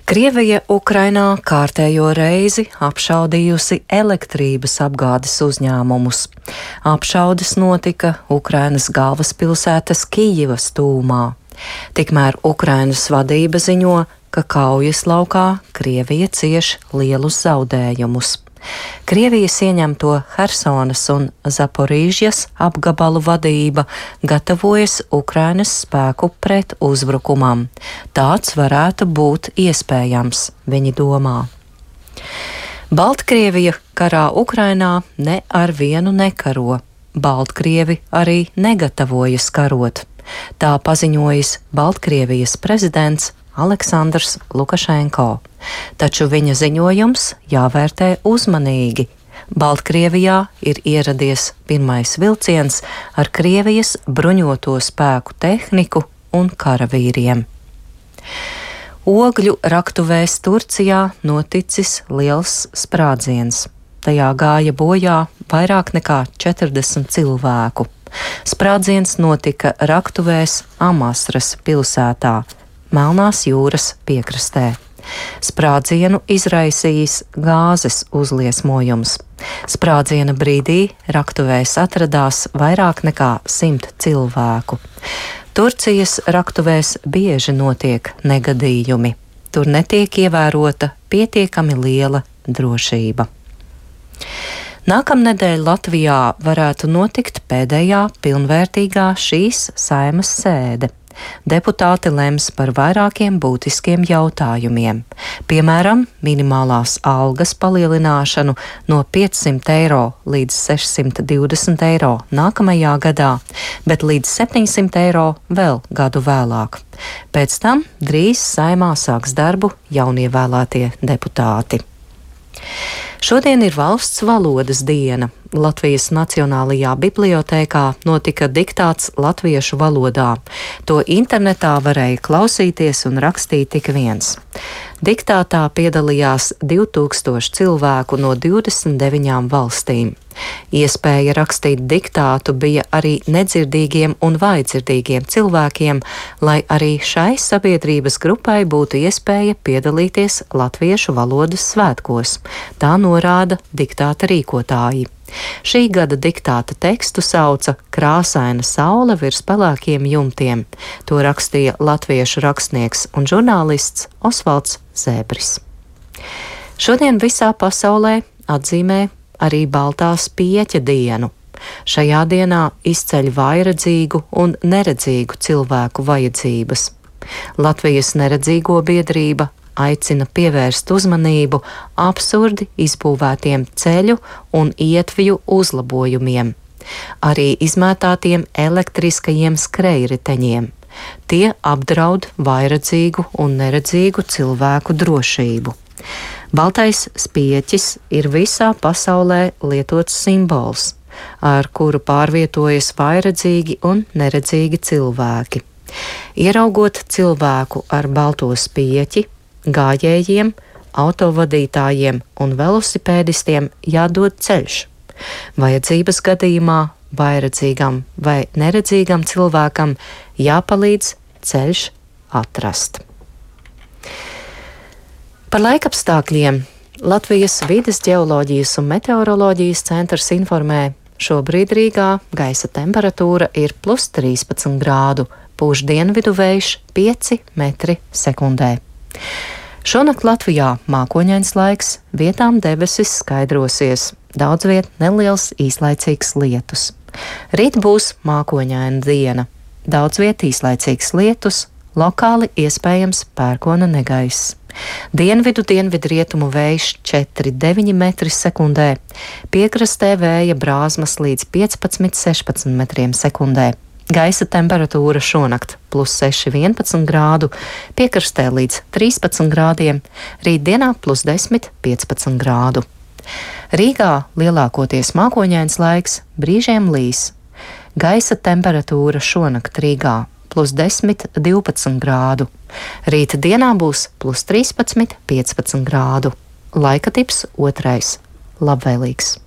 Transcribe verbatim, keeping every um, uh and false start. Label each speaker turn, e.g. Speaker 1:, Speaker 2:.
Speaker 1: Krievija Ukrainā kārtējo reizi apšaudījusi elektrības apgādes uzņēmumus. Apšaudes notika Ukrainas galvaspilsētas Kijivas tūmā. Tikmēr Ukrainas vadība ziņo, ka kaujas laukā Krievija cieš lielus zaudējumus. Krievijas ieņemto Hersonas un Zaporīžjas apgabalu vadība gatavojas Ukrainas spēku pret uzbrukumam. Tāds varētu būt iespējams, viņi domā. Baltkrievija karā Ukrainā ne ar vienu nekaro. Baltkrievi arī negatavojas karot. Tā paziņojis Baltkrievijas prezidents Aleksandrs Lukašenko, taču viņa ziņojums jāvērtē uzmanīgi. Baltkrievijā ir ieradies pirmais vilciens ar Krievijas bruņoto spēku tehniku un karavīriem. Ogļu raktuvēs Turcijā noticis liels sprādziens. Tajā gāja bojā vairāk nekā četrdesmit cilvēku. Sprādziens notika raktuvēs Amasras pilsētā, Melnās jūras piekrastē. Sprādzienu izraisījis gāzes uzliesmojums. Sprādziena brīdī raktuvēs atradās vairāk nekā simt cilvēku. Turcijas raktuvēs bieži notiek negadījumi. Tur netiek ievērota pietiekami liela drošība. Nākamnedēļ Latvijā varētu notikt pēdējā pilnvērtīgā šīs Saeimas sēde. Deputāti lems par vairākiem būtiskiem jautājumiem, piemēram, minimālās algas palielināšanu no piecsimt eiro līdz sešsimt divdesmit eiro nākamajā gadā, bet līdz septiņsimt eiro vēl gadu vēlāk. Pēc tam drīz Saeimā sāks darbu jaunievēlētie deputāti. Šodien ir valsts valodas diena. Latvijas Nacionālajā bibliotēkā notika diktāts latviešu valodā. To internetā varēja klausīties un rakstīt tik viens. Diktātā piedalījās divi tūkstoši cilvēku no divdesmit deviņām valstīm. Iespēja rakstīt diktātu bija arī nedzirdīgiem un vājdzirdīgiem cilvēkiem, lai arī šai sabiedrības grupai būtu iespēja piedalīties latviešu valodas svētkos. Tā norāda diktāta rīkotāji. Šī gada diktāta tekstu sauca Krāsaina saule virs pelēkiem jumtiem. To rakstīja latviešu rakstnieks un žurnālists Osvalds Zēbris. Šodien visā pasaulē atzīmē arī Baltās pieķa dienu. Šajā dienā izceļ vājredzīgu un neredzīgu cilvēku vajadzības. Latvijas neredzīgo biedrība aicina pievērst uzmanību absurdi izbūvētiem ceļu un ietvju uzlabojumiem, arī izmētātiem elektriskajiem skrejriteņiem. Tie apdraud vājredzīgu un neredzīgu cilvēku drošību. Baltais spieķis ir visā pasaulē lietots simbols, ar kuru pārvietojas vājredzīgi un neredzīgi cilvēki. Ieraugot cilvēku ar balto spieķi, gājējiem, autovadītājiem un velosipēdistiem jādod ceļš. Vajadzības gadījumā vājredzīgam vai neredzīgam cilvēkam jāpalīdz ceļš atrast. Par laikapstākļiem Latvijas vides ģeoloģijas un meteoroloģijas centrs informē, šobrīd Rīgā gaisa temperatūra ir plus trīspadsmit grādu, pūš dienvidu vējš pieci metri sekundē. Šonakt Latvijā mākoņains laiks, vietām debesis skaidrosies, daudz viet neliels īslaicīgs lietus. Rīt būs mākoņaina diena, daudz viet īslaicīgs lietus, lokāli iespējams pērkona negaiss. Dienvidu dienvidu rietumu vējš četri deviņi metri sekundē, piekrastē vēja brāzmas līdz piecpadsmit sešpadsmit metriem sekundē. Gaisa temperatūra šonakt plus seši vienpadsmit grādu, piekrastē līdz trīspadsmit grādiem, rītdienā plus desmit piecpadsmit grādu. Rīgā lielākoties mākoņains laiks, brīžiem līs. Gaisa temperatūra šonakt Rīgā plus desmit divpadsmit grādu. Rīta dienā būs plus trīspadsmit piecpadsmit grādu. Laika tips otrais - labvēlīgs.